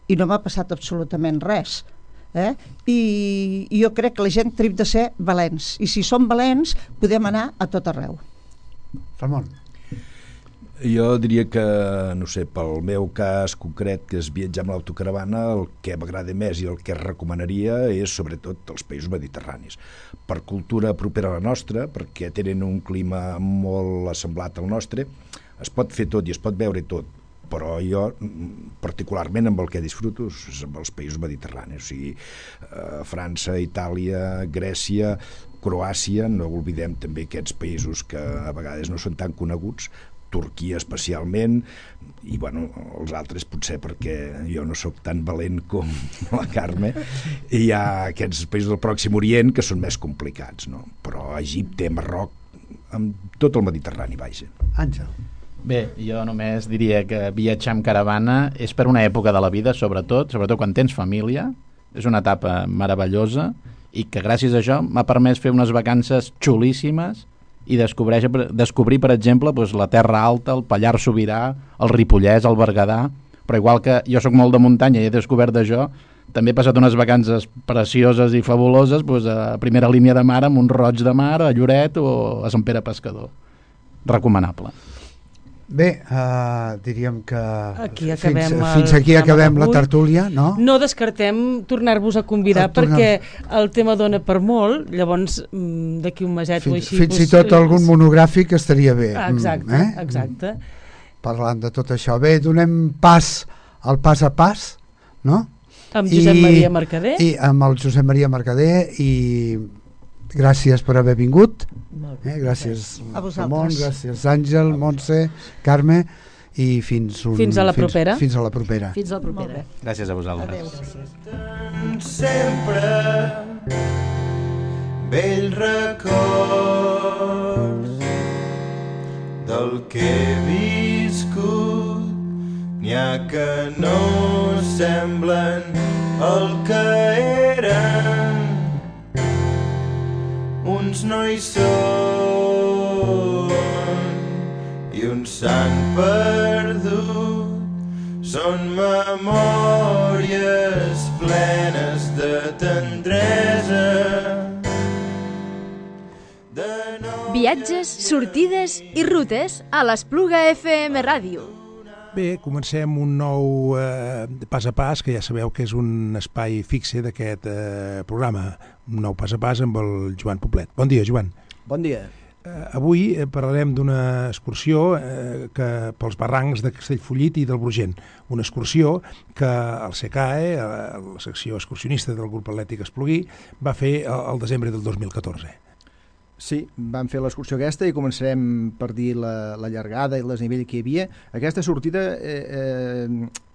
i no m'ha passat absolutament res, eh? I, i jo crec que la gent tenim de ser valents, i si som valents podem anar a tot arreu. Ramon. Jo diria que, no sé, pel meu cas concret, que és viatjar amb l'autocaravana, el que m'agrada més i el que recomanaria és sobretot els països mediterranis. Per cultura propera a la nostra, perquè tenen un clima molt assemblat al nostre, es pot fer tot i es pot veure tot, però jo particularment amb el que disfruto és amb els països mediterranis, o sigui, eh, França, Itàlia, Grècia, Croàcia, no oblidem també aquests països que a vegades no són tan coneguts, Turquia especialment, i bueno, els altres potser perquè jo no sóc tan valent com la Carme, i hi ha aquests països del Pròxim Orient que són més complicats, no? Però Egipte, Marroc, amb tot el Mediterrani, vaja. Àngel. Bé, jo només diria que viatjar amb caravana és per una època de la vida, sobretot, sobretot quan tens família, és una etapa meravellosa i que gràcies a això m'ha permès fer unes vacances xulíssimes i descobrir, descobrir per exemple, doncs, la Terra Alta, el Pallars Sobirà, el Ripollès, el Berguedà, però igual que jo sóc molt de muntanya i he descobert d'això, també he passat unes vacances precioses i fabuloses doncs, a primera línia de mar, a Mont-roig de Mar, a Lloret o a Sant Pere Pescador. Recomanable. Bé, uh, diríem que aquí fins, el, fins aquí acabem la tertúlia, no? No descartem tornar-vos a convidar, a tornar... perquè el tema dona per molt, llavors d'aquí un meset fins, o així... Fins i tot eh, algun monogràfic estaria bé. Exacte, eh? exacte. Parlant de tot això. Bé, donem pas al pas a pas, no? Amb Josep I, Maria Mercader. I amb el Josep Maria Mercader i gràcies per haver vingut. Eh, gràcies Ramon, gràcies Àngel, Montse, Carme i fins, un, fins a la propera. Fins, fins a la propera. Fins a la propera. Gràcies a vosaltres. Adéu, gràcies. Sempre vell records del que he viscut, n'hi ha que no semblen el que eren. Uns no hi són i uns s'han perdut, són memòries plenes de tendresa. De no... Viatges, sortides i rutes a l'Espluga F M Ràdio. Bé, comencem un nou eh, pas a pas, que ja sabeu que és un espai fixe d'aquest eh, programa, un nou pas a pas amb el Joan Poblet. Bon dia, Joan. Bon dia. Eh, avui eh, parlarem d'una excursió eh, que pels barrancs de Castellfollit i del Brugent. Una excursió que el C C A E, eh, la secció excursionista del grup atlètic Esplugui, va fer al desembre del dos mil catorze. Sí, vam fer l'excursió aquesta i començarem per dir la, la llargada i el desnivell que hi havia. Aquesta sortida eh, eh,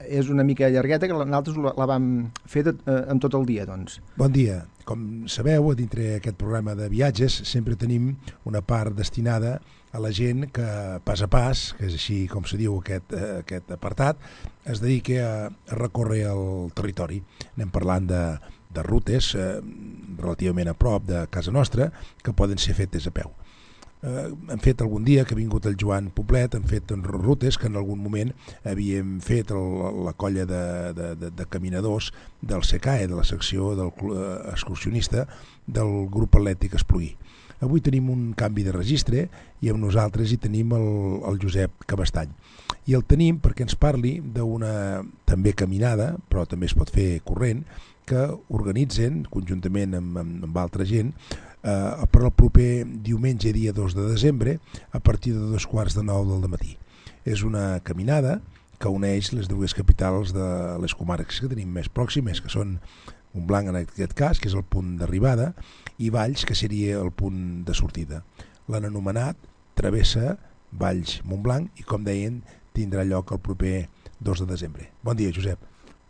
és una mica llargueta, que nosaltres la, la vam fer de, eh, en tot el dia, doncs. Bon dia. com sabeu, dintre aquest programa de viatges sempre tenim una part destinada a la gent que pas a pas, que és així com se diu aquest, aquest apartat, es dedica a, a recórrer el territori. Anem parlant de, de rutes eh, relativament a prop de casa nostra que poden ser fetes a peu. Eh, hem fet algun dia que ha vingut el Joan Poblet, hem fet rutes que en algun moment havíem fet el, la colla de, de, de, de caminadors del S E C A E, de la secció del uh, excursionista del grup atlètic Espluguí. Avui tenim un canvi de registre i amb nosaltres hi tenim el, el Josep Cabestany. I el tenim perquè ens parli d'una també caminada, però també es pot fer corrent, que organitzen conjuntament amb, amb, amb altra gent eh, per al proper diumenge, dia dos de desembre, a partir de dos quarts de nou del matí. És una caminada que uneix les dues capitals de les comarques que tenim més pròximes, que són Montblanc en aquest cas, que és el punt d'arribada, i Valls, que seria el punt de sortida. L'han anomenat Travessa Valls-Montblanc i, com deien, tindrà lloc el proper dos de desembre. Bon dia, Josep.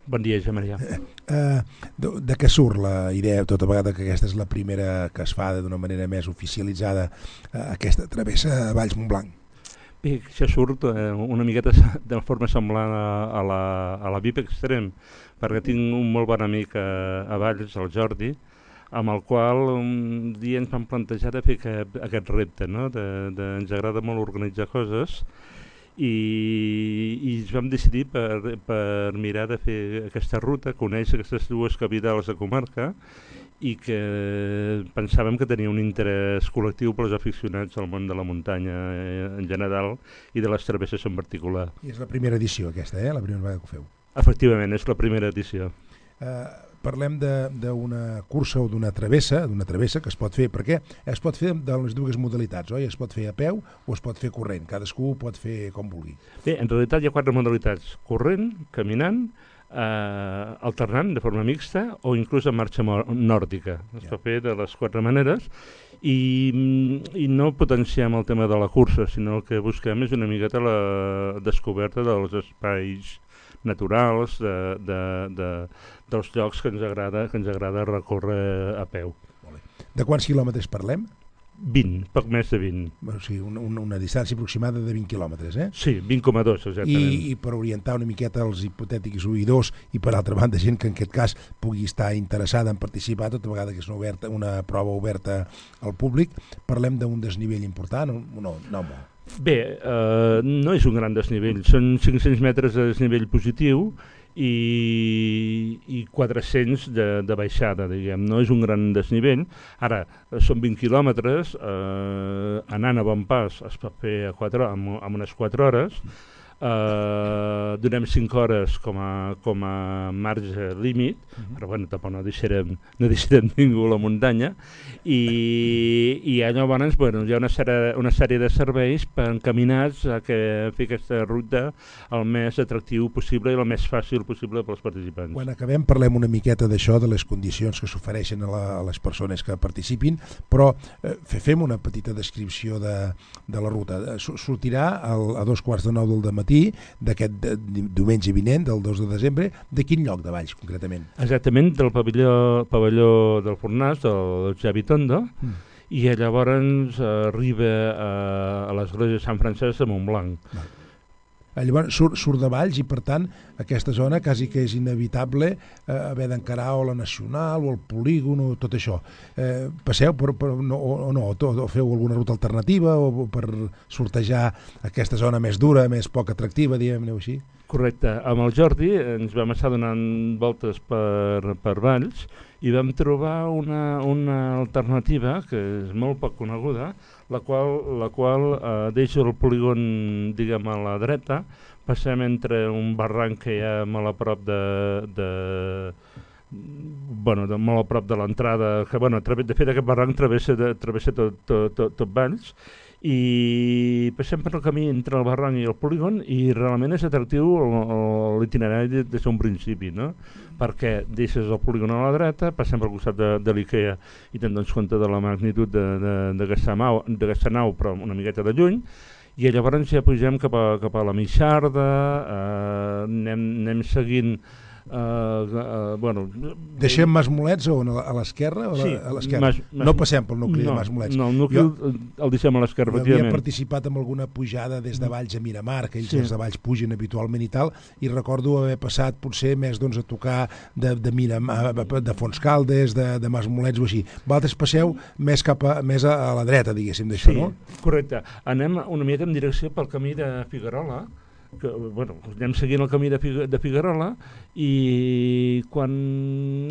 Bon dia, Josep Maria. Eh, eh, de, de què surt la idea, tota vegada que aquesta és la primera que es fa d'una manera més oficialitzada, eh, aquesta travessa a Valls-Montblanc? Bé, això surt eh, una miqueta de forma semblant a, a la, a la V I P Extrem, perquè tinc un molt bon amic a, a Valls, el Jordi, amb el qual un dia ens vam plantejar de fer aquest, aquest repte, no? de, de, ens agrada molt organitzar coses, i, i ens vam decidir per, per mirar de fer aquesta ruta, conèixer aquestes dues capitals de comarca, i que pensàvem que tenia un interès col·lectiu pels aficionats al món de la muntanya en general i de les travesses en particular. I és la primera edició aquesta, eh? La primera vegada que ho feu. Efectivament, és la primera edició. Uh, parlem d'una cursa o d'una travessa, d'una travessa que es pot fer, perquè es pot fer de les dues modalitats, oi? Es pot fer a peu o es pot fer corrent, cadascú pot fer com vulgui. Bé, en realitat hi ha quatre modalitats, corrent, caminant, eh, alternant de forma mixta o inclús en marxa nòrdica. Es ja. pot fer de les quatre maneres i, i no potenciem el tema de la cursa, sinó el que busquem és una miqueta la descoberta dels espais naturals, de, de, de, dels llocs que ens agrada, que ens agrada recórrer a peu. De quants quilòmetres parlem? vint, poc més de vint. O sigui, una, una, una distància aproximada de vint quilòmetres, eh? Sí, vint coma dos, exactament. I, I per orientar una miqueta els hipotètics oïdors i per altra banda gent que en aquest cas pugui estar interessada en participar, tota vegada que és una, oberta, una prova oberta al públic, parlem d'un desnivell important o no? No, molt. Bé, eh, no és un gran desnivell, són cinc-cents metres de desnivell positiu i, i quatre-cents de, de baixada, diguem, no és un gran desnivell. Ara, són vint quilòmetres, eh, anant a bon pas es pot fer a quatre, amb, amb unes quatre hores, eh, donem cinc hores com a, com a marge límit, uh-huh. però bueno, tampoc no deixarem, no deixarem ningú a la muntanya, i, i llavors bueno, hi ha una sèrie, una sèrie de serveis per encaminats a que fer aquesta ruta el més atractiu possible i el més fàcil possible pels participants. Quan acabem parlem una miqueta d'això, de les condicions que s'ofereixen a, la, a les persones que participin, però eh, fem una petita descripció de, de la ruta. Sortirà al, a dos quarts de nou del dematí d'aquest diumenge vinent, del dos de desembre. De quin lloc de Valls, concretament? Exactament, del pavelló, pavelló del Fornàs, del Xavi Tondo, mm. i llavors arriba a, a l'església de Sant Francesc de Montblanc. Va. Llavors surt, surt de Valls i per tant aquesta zona quasi que és inevitable eh, haver d'encarar o la Nacional o el polígon o tot això. Eh, passeu per, per, no, o no, o, o feu alguna ruta alternativa o per sortejar aquesta zona més dura, més poc atractiva, diguem-ne així? Correcte. Amb el Jordi ens vam estar donant voltes per, per Valls i vam trobar una, una alternativa que és molt poc coneguda, la qual, la qual eh, deixa el polígon, diguem, a la dreta, passem entre un barranc que hi ha molt a prop de... de bueno, de, molt a prop de l'entrada, que bueno, de fet aquest barranc travessa, de, travessa tot, tot, tot, tot Valls, i passem per el camí entre el barranc i el polígon i realment és atractiu l'itinerari des d'un principi, no? Perquè deixes el polígon a la dreta, passem pel costat de, de l'Ikea i te'n dones compte de la magnitud d'aquesta nau, però una miqueta de lluny, i llavors ja pugem cap a, cap a la Mixarda, eh, anem, anem seguint Uh, uh, bueno, deixem Masmolets on, a l'esquerra? Sí, a l'esquerra. No passem pel nucli no, de Masmolets. No, el nucli jo, el deixem a l'esquerra, efectivament. Jo havia participat en alguna pujada des de Valls a Miramar, que ells sí. els de Valls pugen habitualment i tal, i recordo haver passat potser més doncs, a tocar de, de Miramar, de Fontscaldes, de, de Masmolets o així. Vosaltres passeu més cap a, més a, a la dreta, diguéssim, d'això, sí, no? Correcte. Anem una mica en direcció pel camí de Figuerola, que, bueno, anem seguint el camí de, Fig de Figuerola i quan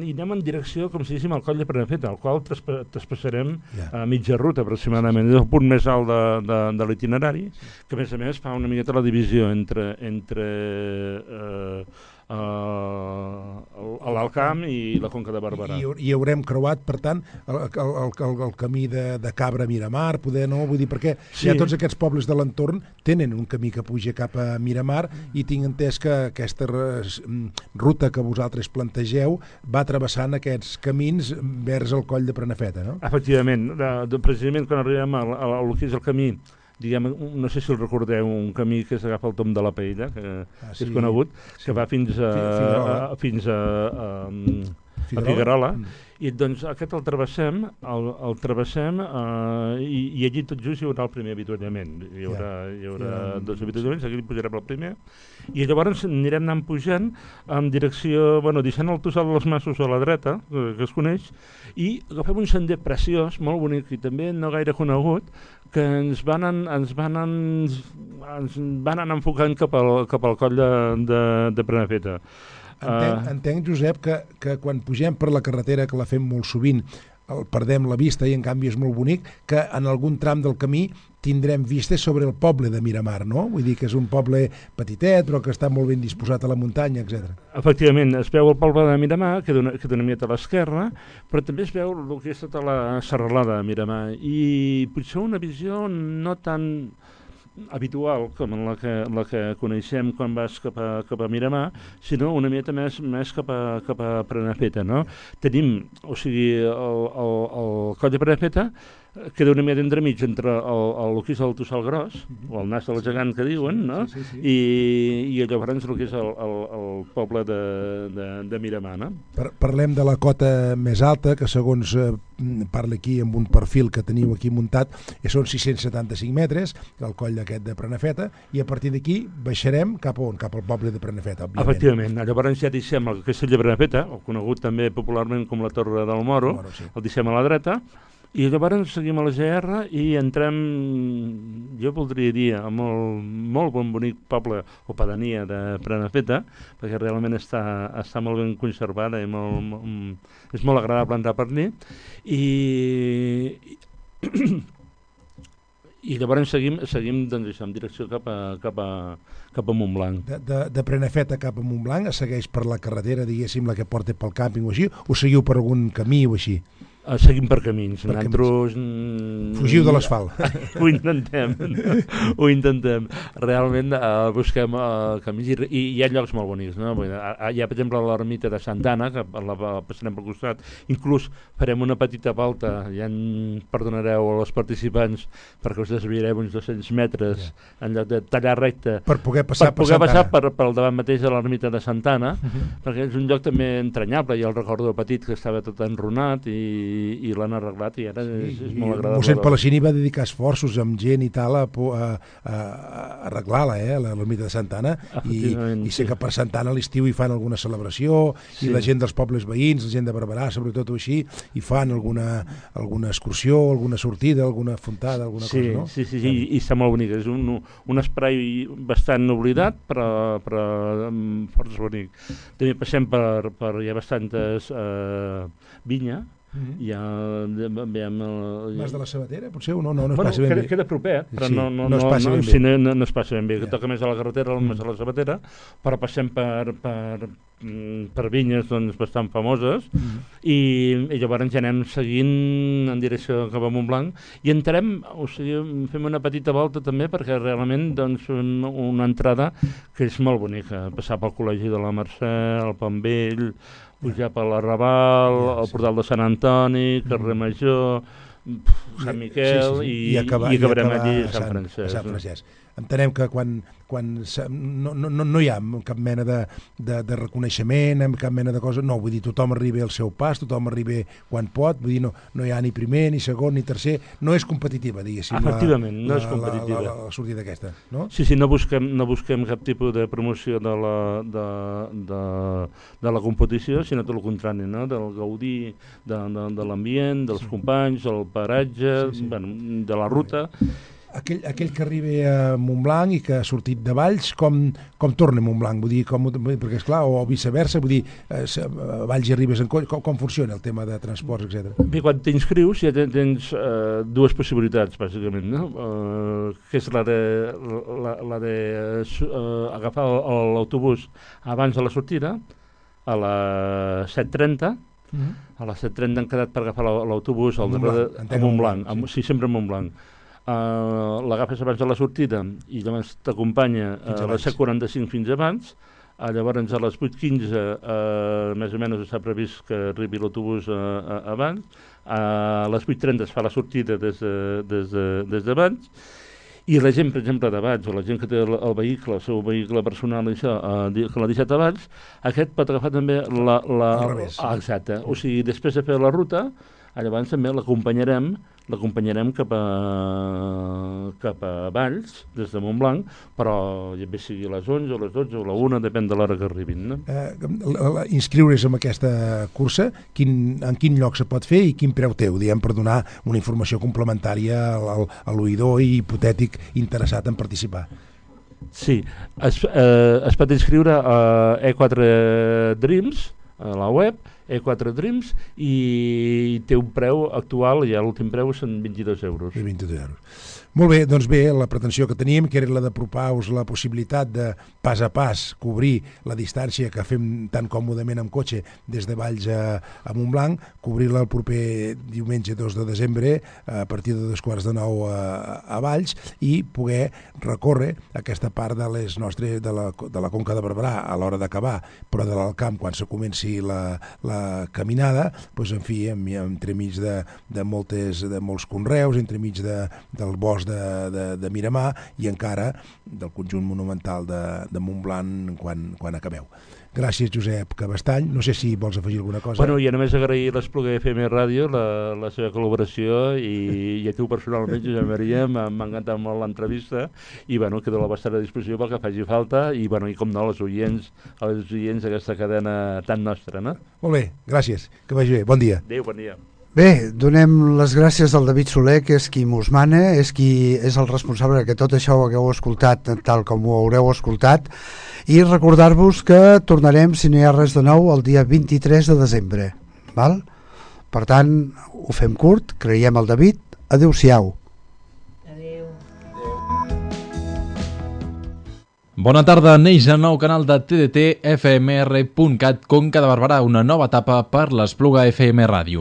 hi anem en direcció, com si diguéssim, al coll de Prenafeta, al qual traspassarem yeah. a mitja ruta aproximadament. És el punt més alt de, de, de l'itinerari, que a més a més fa una miqueta la divisió entre, entre eh, uh, l'Alt Camp i la Conca de Barberà. I, i haurem creuat, per tant, el, el, el, el camí de, de Cabra a Miramar, poder, no? Vull dir, perquè sí. ja tots aquests pobles de l'entorn tenen un camí que puja cap a Miramar i tinc entès que aquesta ruta que vosaltres plantegeu va travessant aquests camins vers el coll de Prenafeta, no? Efectivament, de, de, precisament quan arribem al, al, al que és el camí, diguem, no sé si el recordeu, un camí que s'agafa el Tom de la Paella, que, ah, sí. que és conegut, sí. que va fins a, a, a, fins a, a, a Figuerola, mm. i doncs aquest el travessem, el, el travessem uh, i, i allí tot just hi haurà el primer avituallament. Hi haurà, yeah. hi haurà yeah. dos avituallaments, aquí pujarem el primer, i llavors anirem anant pujant en direcció, bueno, deixant el Tossal dels Massos a la dreta, que, que es coneix, i agafem un sender preciós, molt bonic i també no gaire conegut, que ens van, en, ens van, en, ens van anar enfocant cap al, cap al coll de, de, de Prenafeta. Entenc, uh, entenc, Josep, que, que quan pugem per la carretera, que la fem molt sovint, el perdem la vista i en canvi és molt bonic, que en algun tram del camí tindrem vistes sobre el poble de Miramar, no? Vull dir que és un poble petitet, però que està molt ben disposat a la muntanya, etcètera. Efectivament, es veu el poble de Miramar, que dona, que dona mica a l'esquerra, però també es veu el que és tota la serralada de Miramar, i potser una visió no tan habitual com la que, la que coneixem quan vas cap a, cap a Miramar, sinó una mica més, més cap a, cap a Prenafeta, no? Tenim, o sigui, el, el, el coll de Prenafeta queda una mica entremig entre el, el, el que és el Tossal Gros, mm-hmm. o el Nas del Gegant que diuen, no? Sí, sí, sí. I, i llavors el que és el, el, el poble de, de, de Miramar, no? Par Parlem de la cota més alta, que segons eh, parla aquí amb un perfil que teniu aquí muntat, que són sis-cents setanta-cinc metres, el coll d'aquest de Prenafeta, i a partir d'aquí baixarem cap a on? Cap al poble de Prenafeta, òbviament. Efectivament, llavors ja deixem el castell de Prenafeta, o conegut també popularment com la Torre del Moro, Moro sí. el deixem a la dreta, i llavors seguim a la G R i entrem, jo voldria dir, a molt, molt bon bonic poble o pedania de Prenafeta, perquè realment està, està molt ben conservada i molt, molt, és molt agradable entrar per allí, i, i, i llavors seguim, seguim doncs, això, en direcció cap a, cap a, cap a Montblanc. De, de, de Prenafeta cap a Montblanc, segueix per la carretera, diguéssim, la que porta pel càmping o així, o seguiu per algun camí o així? Uh, seguim per camins. Per Nosaltres... camins. Fugiu de l'asfalt. Ho intentem. Ho intentem. Realment uh, busquem uh, camins i, i hi ha llocs molt bonics. No? Hi ha, per exemple, l'ermita de Santa Anna, que la, la passarem pel costat. Inclús farem una petita volta, ja en perdonareu als participants, perquè us desviarem uns dos-cents metres yeah. en lloc de tallar recte. Per poder passar per, poder per, passar per, per davant mateix de l'ermita de Santa Anna, uh -huh. perquè és un lloc també entranyable. Ja el recordo petit que estava tot enrunat i i l'han arreglat i ara sí, és, és molt agradable. Mossèn Palacini va dedicar esforços amb gent i tal a, a, a, a arreglar-la, eh, l'ermita de Santa Anna, i, i sé sí. que per Santa Anna a l'estiu hi fan alguna celebració, sí. i la gent dels pobles veïns, la gent de Barberà, sobretot o així, hi fan alguna, alguna excursió, alguna sortida, alguna fontada, alguna sí, cosa, no? Sí, sí, sí, i, i està molt bonic. És un, un espai bastant oblidat, però, però força bonic. També passem per, per hi ha bastantes eh, vinya. Mm-hmm. Ja veiem el... Mas de la Sabatera, potser? O no, no, no es bueno, passa ben queda, bé. Queda proper, però sí, no, no, no es passa no, ben bé. Sí, no, no es passa ben bé, que ja. toca més a la carretera, mm. més a la Sabatera, però passem per, per, per vinyes doncs, bastant famoses, mm. i, i llavors ja anem seguint en direcció cap a Montblanc, i entrem, o sigui, fem una petita volta també, perquè realment doncs, un, una entrada que és molt bonica, passar pel Col·legi de la Mercè, el Pont Vell, pujar per l'Arrabal, el portal de Sant Antoni, carrer Major, Sant Miquel sí, sí, sí. i, I, acabar, i acabarem i allí a Sant, Sant Francesc. A Sant Francesc. Entenem que quan, quan no, no, no hi ha cap mena de, de, de reconeixement, cap mena de cosa, no, vull dir, tothom arriba al seu pas, tothom arriba quan pot, vull dir, no, no hi ha ni primer, ni segon, ni tercer, no és competitiva, diguéssim. Efectivament, la, no la, és competitiva. La, la, la sortida aquesta, no? Sí, sí, no busquem, no busquem cap tipus de promoció de la, de, de, de la competició, sinó tot el contrari, no? Del gaudir de, de, de l'ambient, dels sí. companys, del paratge, sí, sí. Bueno, de la ruta. Aquell, aquell que arriba a Montblanc i que ha sortit de Valls, com, com torna a Montblanc? Vull dir, com, perquè esclar, o viceversa, vull dir, eh, a Valls i arribes en coll, com, com funciona el tema de transports, etcètera? Bé, quan t'inscrius ja tens eh, dues possibilitats, bàsicament, no? Eh, que és la de, la, la de eh, agafar l'autobús abans de la sortida, a les set trenta, mm-hmm. a les set trenta han quedat per agafar l'autobús al darrere de Montblanc, sí. sí, sempre a Montblanc. Uh, l'agafes abans de la sortida i llavors t'acompanya a uh, les set quaranta-cinc fins abans, uh, llavors a les vuit quinze uh, més o menys està previst que arribi l'autobús uh, uh, abans, uh, a les vuit trenta es fa la sortida des d'abans de, des de, des d'abans, i la gent, per exemple, d'abans, o la gent que té el, el vehicle, el seu vehicle personal, això, uh, que l'ha deixat abans, aquest pot agafar també la... la ah, exacte, o sigui, després de fer la ruta, llavors també l'acompanyarem l'acompanyarem cap a, cap a Valls, des de Montblanc, però ja bé sigui a les onze, o a les dotze, o a la una, depèn de l'hora que arribin. No? Eh, inscriure's en aquesta cursa, quin, en quin lloc se pot fer i quin preu teu, diguem, per donar una informació complementària al, a l'oïdor i hipotètic interessat en participar. Sí, es, eh, es pot inscriure a E quatre Dreams, a la web, E quatre Dreams, i té un preu actual, ja l'últim preu són vint-i-dos euros. I vint-i-dos euros. Molt bé, doncs bé, la pretensió que teníem, que era la d'apropar-vos la possibilitat de pas a pas cobrir la distància que fem tan còmodament amb cotxe des de Valls a, a Montblanc, cobrir-la el proper diumenge dos de desembre a partir de dos quarts de nou a, a Valls i poder recórrer aquesta part de les nostres de la, de la Conca de Barberà a l'hora d'acabar, però de l'Alcamp quan se comenci la, la caminada, doncs en fi, entremig de, de, moltes, de molts conreus, entremig de, del bosc de, de, de Miramar i encara del conjunt monumental de, de Montblanc quan, quan acabeu. Gràcies, Josep Cabestany. No sé si vols afegir alguna cosa. Bueno, i a només agrair l'Espluga F M Ràdio la, la seva col·laboració i, i a tu personalment, Josep Maria, m'ha encantat molt l'entrevista i bueno, quedo a la vostra disposició pel que faci falta i, bueno, i com no, els oients, els oients d'aquesta cadena tan nostra, no? Molt bé, gràcies. Que vagi bé. Bon dia. Adéu, bon dia. Bé, donem les gràcies al David Soler, que és qui mos mana, és qui és el responsable que tot això ho hagueu escoltat tal com ho haureu escoltat, i recordar-vos que tornarem, si no hi ha res de nou, el dia vint-i-tres de desembre. Val? Per tant, ho fem curt, creiem el David. Adéu-siau. Adéu. Bona tarda, neix el nou canal de T D T F M R punt cat Conca de Barberà, una nova etapa per l'Espluga F M Ràdio.